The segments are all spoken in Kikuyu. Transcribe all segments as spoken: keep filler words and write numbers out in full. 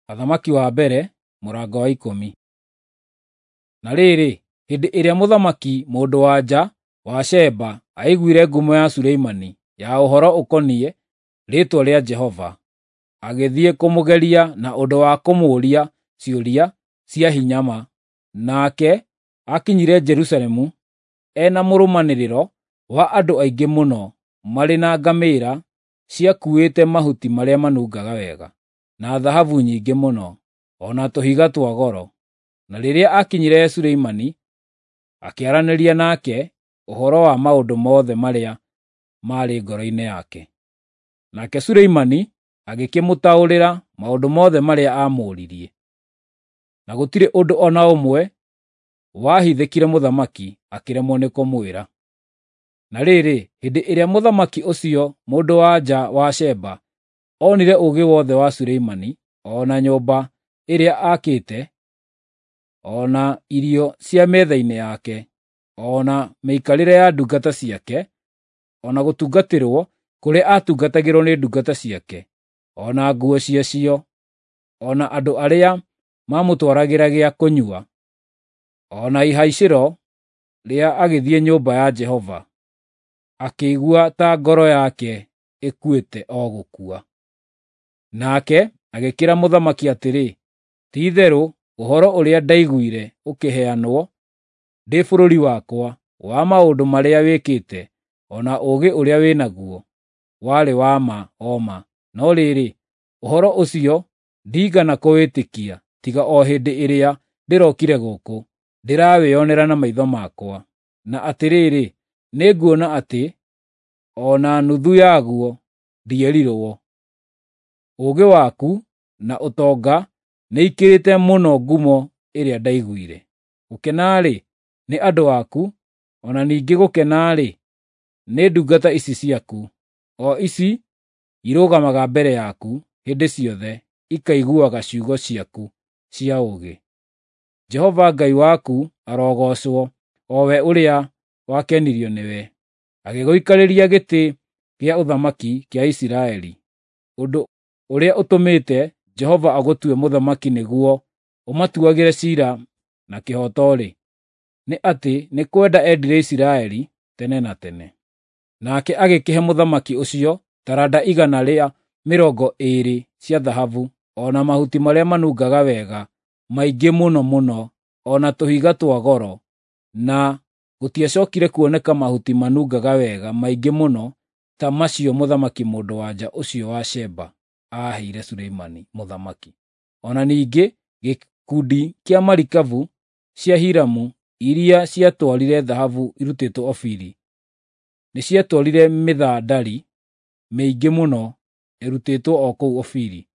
Athamaki wa mbere mũrango wa ikũmi. Na rĩrĩ, hĩndĩ ĩrĩa mũthamaki mũndũ-wa-nja wa Sheba aiguire ngumo ya Suleimani ya ũhoro ũkoniĩ rĩĩtwa rĩa Jehova, agĩthiĩ kũmũgeria na ũndũ wa kũmũũria ciũria cia hinya ma. Nake aakinyire Jerusalemu e na mũrũmanĩrĩro wa andũ aingĩ mũno marĩ na ngamĩĩra ciakuuĩte mahuti marĩa manungaga wega, na thahabu nyingĩ mũno, o na tũhiga twa goro. Na rĩrĩa aakinyire he Suleimani, akĩaranĩria nake ũhoro wa maũndũ mothe marĩa maarĩ ngoro-inĩ yake. Nake Suleimani agĩkĩmũtaũrĩra maũndũ mothe marĩa aamũũririe. Na gũtirĩ ũndũ o na ũmwe wahithĩkire mũthamaki akĩremwo nĩ kũmwĩra. Na rĩrĩ, hĩndĩ ĩrĩa mũthamaki ũcio mũndũ-wa-nja wa Sheba onire ũũgĩ wothe wa Suleimani, o na nyũmba ĩrĩa aakĩte, o na irio cia metha-inĩ yake, o na mĩikarĩre ya ndungata ciake, o na gũtungatĩrwo kũrĩa aatungatagĩrwo nĩ ndungata ciake, o na nguo ciacio, o na andũ arĩa maamũtwaragĩra gĩa kũnyua, o na ihaicĩro rĩa agĩthiĩ nyũmba ya Jehova, akĩigua ta ngoro yake ĩkuĩte o gũkua. Nake agĩkĩĩra mũthamaki atĩrĩ, “Ti-itherũ ũhoro ũrĩa ndaiguire ũkĩheanwo ndĩ bũrũri wakwa wa maũndũ marĩa wĩkĩte, o na ũũgĩ ũrĩa wĩ naguo, warĩ wa ma o ma. No rĩrĩ, ũhoro ũcio ndiigana kũwĩtĩkia tiga o hĩndĩ ĩrĩa ndĩrokire gũkũ, ndĩrawĩonera na maitho makwa. Na atĩrĩrĩ, nĩnguona atĩ o na nuthu yaguo ndierirwo. Ũũgĩ waku na ũtonga nĩikĩrĩte mũno ngumo ĩrĩa ndaiguire. Gũkena-rĩ, nĩ andũ aku, o na ningĩ gũkena-rĩ, nĩ ndungata ici ciaku, o ici irũgamaga mbere yaku hĩndĩ ciothe ikaiguaga ciugo ciaku cia ũũgĩ. Jehova Ngai waku arogoocwo, o we ũrĩa wakenirio nĩwe, agĩgũikarĩria gĩtĩ gĩa ũthamaki kĩa Isiraeli, ũndũ ũrĩa ũtũmĩte Jehova agũtue mũthamaki nĩguo ũmatuagĩre ciira na kĩhooto-rĩ, nĩ atĩ nĩ kwenda endire Isiraeli tene na tene.” Nake agĩkĩhe mũthamaki ũcio taranda igana rĩa mĩrongo ĩĩrĩ cia thahabu, o na mahuti marĩa manungaga wega maingĩ mũno mũno, o na tũhiga twa goro, na gũtiacokire kuoneka mahuti manungaga wega maingĩ mũno ta macio mũthamaki mũndũ-wa-nja ũcio wa Sheba aaheire Suleimani mũthamaki. O na ningĩ gĩkundi kĩa marikabu cia Hiramu iria ciatwarire thahabu irutĩtwo Ofiri nĩciatwarire mĩthandari mĩingĩ mũno ĩrutĩtwo o kũu Ofiri,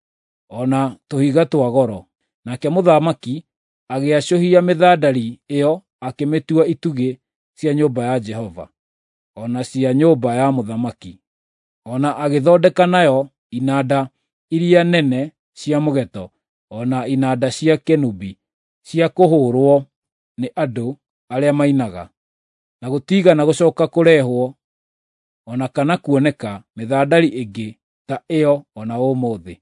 o na tũhiga twa goro. Nake mũthamaki agĩacũhia mĩthandari ĩyo akĩmĩtua itugĩ cia nyũmba ya Jehova, o na cia nyũmba ya mũthamaki, o na agĩthondeka nayo inanda iria nene cia mũgeeto, o na inanda cia kenubi cia kũhũũrwo nĩ andũ arĩa mainaga. Na gũtiigana gũcooka kũrehwo o na kana kuoneka mĩthandari ĩngĩ ta ĩyo o na ũmũthĩ.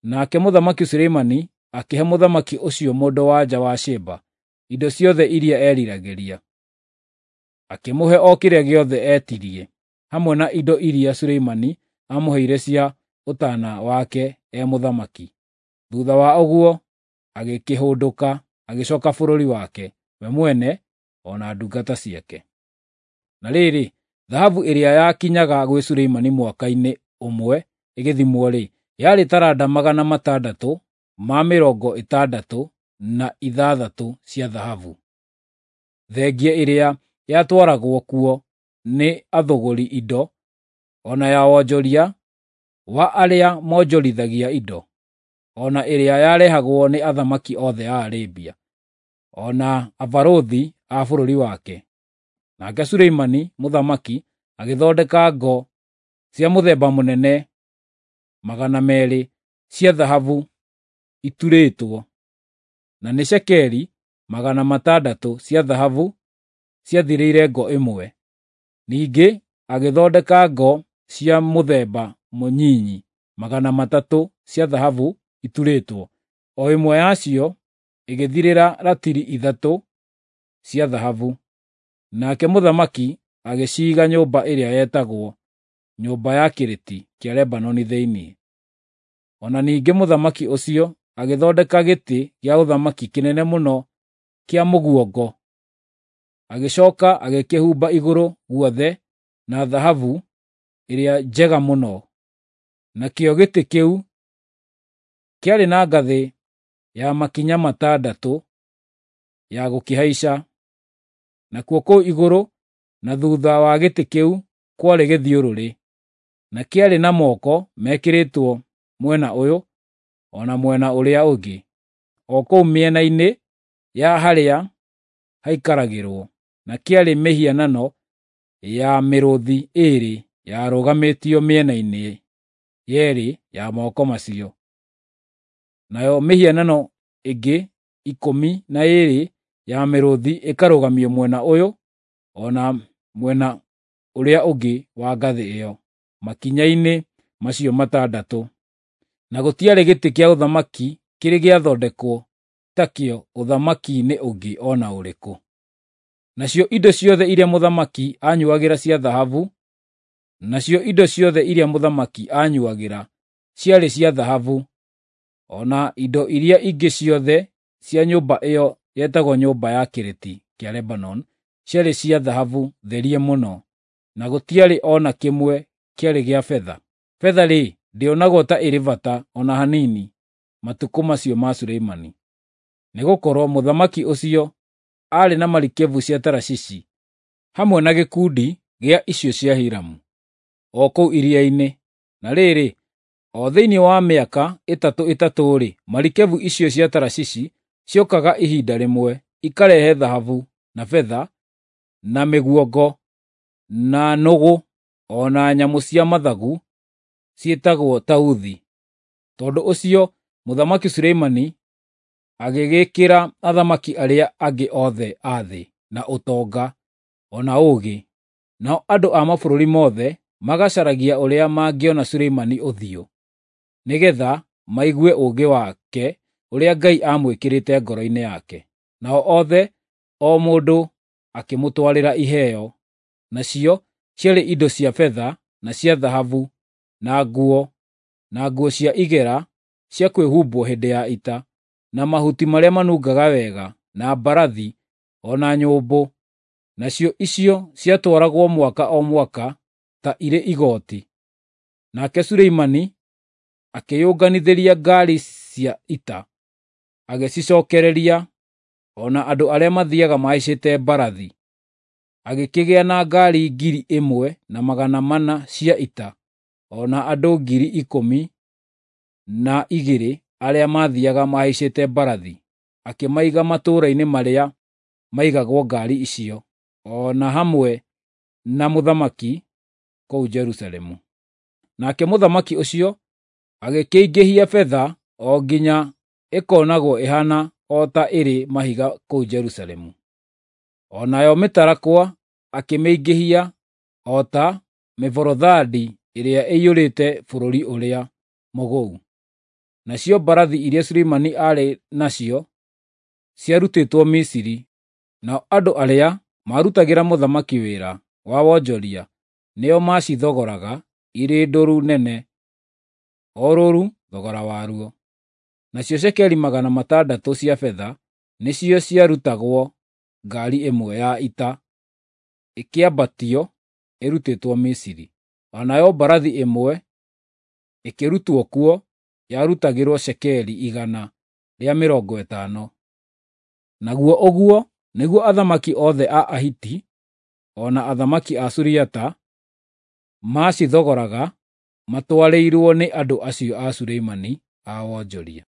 Nake Mũthamaki Suleimani akĩhe mũthamaki ũcio mũndũ-wa-nja wa Sheba indo ciothe iria eeriragĩria. Akĩmũhe o kĩrĩa gĩothe eetirie, hamwe na indo iria Suleimani aamũheire cia ũtaana wake e mũthamaki. Thuutha wa ũguo agĩkĩhũndũka agĩcooka bũrũri wake, we mwene o na ndungata ciake. Na rĩrĩ, thahabu ĩrĩa yakinyaga gwĩ Suleimani mwaka-inĩ ũmwe ĩgĩthimwo-rĩ, yarĩ taranda magana matandatũ ma mĩrongo ĩtandatũ na ithathatũ cia thahabu, thengia ĩrĩa yatwaragwo kuo nĩ athũgũri indo, o na ya wonjoria wa arĩa monjorithagia indo, o na ĩrĩa yarehagwo nĩ athamaki othe a Arabia, o na abarũthi a bũrũri wake. Nake Suleimani mũthamaki agĩthondeka ngo cia mũthemba mũnene magana meerĩ cia thahabu iturĩtwo, na nĩ cekeri magana matandatũ cia thahabu ciathirĩire ngo ĩmwe. Ningĩ agĩthondeka ngo cia mũthemba mũnyinyi magana matatũ cia thahabu iturĩtwo, o ĩmwe yacio ĩgĩthirĩra ratiri ithatũ cia thahabu. Nake mũthamaki agĩciiga nyũmba ĩrĩa yetagwo Nyũmba ya Kĩrĩti kĩa Lebanoni thĩinĩ. O na ningĩ mũthamaki ũcio agĩthondeka gĩtĩ gĩa ũthamaki kĩnene mũno kĩa mũguongo, agĩcooka agĩkĩhumba igũrũ guothe na thahabu ĩrĩa njega mũno. Nakĩo gĩtĩ kĩu kĩarĩ na ngathĩ ya makinya matandatũ ya gũkĩhaica, nakuo kũu igũrũ na thuutha wa gĩtĩ kĩu kwarĩ gĩthiũrũrĩ, na kĩarĩ na moko mekĩrĩtwo mwena ũyũ o na mwena ũrĩa ũngĩ, o kũu mĩena-inĩ ya harĩa haikaragĩrwo, na kĩarĩ mĩhianano ya mĩrũũthi ĩĩrĩ yarũgamĩtio mĩena-inĩ yeerĩ ya moko macio. Nayo mĩhianano ĩngĩ ikũmi na ĩĩrĩ ya mĩrũũthi ĩkarũgamio mwena ũyũ o na mwena ũrĩa ũngĩ wa ngathĩ ĩyo, makinya-inĩ macio matandatũ. Na gũtiarĩ gĩtĩ kĩa ũthamaki kĩrĩ gĩathondekwo takĩo ũthamaki-inĩ ũngĩ o na ũrĩkũ. Nacio indo ciothe iria mũthamaki aanyuuagĩra cia thahabu, nacio indo ciothe iria mũthamaki aanyuuagĩra ciarĩ cia thahabu, o na indo iria ingĩ ciothe cia nyũmba ĩyo yetagwo Nyũmba ya Kĩrĩti kĩa Lebanoni ciarĩ cia thahabu therie mũno, na gũtiarĩ o na kĩmwe kĩarĩ gĩa betha. Betha-rĩ, ndĩonagwo ta ĩrĩ bata o na hanini matukũ macio ma Suleimani, nĩgũkorwo mũthamaki ũcio aarĩ na marikabu cia Tarashishi hamwe na gĩkundi gĩa icio cia Hiramu, o kũu iria-inĩ. Na rĩrĩ, o thĩinĩ wa mĩaka ĩtatũ ĩtatũ-rĩ, marikabu icio cia Tarashishi ciokaga ihinda rĩmwe, ikarehe thahabu, na betha, na mĩguongo, na nũgũ, o na nyamũ cia mathagu ciĩtagwo tauthi. Tondũ ũcio Mũthamaki Suleimani agĩgĩkĩra athamaki arĩa angĩ othe a thĩ na ũtonga o na ũũgĩ, nao andũ a mabũrũri mothe magacaragia ũrĩa mangĩona Suleimani ũthiũ, nĩgeetha maigue ũũgĩ wake ũrĩa Ngai aamwĩkĩrĩte ngoro-inĩ yake. Nao othe, o mũndũ akĩmũtwarĩra iheo, nacio ciarĩ indo cia betha na cia thahabu, na nguo, na nguo cia igera cia kwĩhumbwo hĩndĩ ya ita, na mahuti marĩa manungaga wega, na mbarathi, o na nyũmbũ. Nacio icio ciatwaragwo mwaka o mwaka ta irĩ igooti. Nake Suleimani akĩyũnganithĩria ngaari cia ita, agĩcicookereria, o na andũ arĩa mathiiaga mahaicĩte mbarathi. Agĩkĩgĩa na ngaari ngiri ĩmwe na magana mana cia ita, o na andũ ngiri ikũmi na igĩrĩ arĩa maathiiaga mahaicĩte mbarathi, akĩmaiga matũũra-inĩ marĩa maigagwo ngaari icio, o na hamwe na mũthamaki kũu Jerusalemu. Nake mũthamaki ũcio agĩkĩingĩhia betha o nginya ĩkoonagwo ĩhaana o ta ĩrĩ mahiga kũu Jerusalemu. O nayo mĩtarakwa akĩmĩingĩhia o ta mĩborothandi ĩrĩa ĩiyũrĩte bũrũri ũrĩa mũgũu. Nacio mbarathi iria Suleimani aarĩ nacio ciarutĩtwo Misiri, nao andũ arĩa maarutagĩra mũthamaki wĩra wa wonjoria nĩo maacithogoraga irĩ ndũru nene, o rũũru thogora waruo. Nacio cekeri magana matandatũ cia betha nĩcio ciarutagwo ngaari ĩmwe ya ita ĩkĩambatio ĩrutĩtwo Misiri. O nayo mbarathi ĩmwe ĩkĩrutwo kuo yarutagĩrwo cekeri igana rĩa mĩrongo ĩtano. Naguo ũguo nĩguo athamaki othe a Ahiti o na athamaki a Suriata maacithogoraga matwarĩirwo nĩ andũ acio a Suleimani a wonjoria.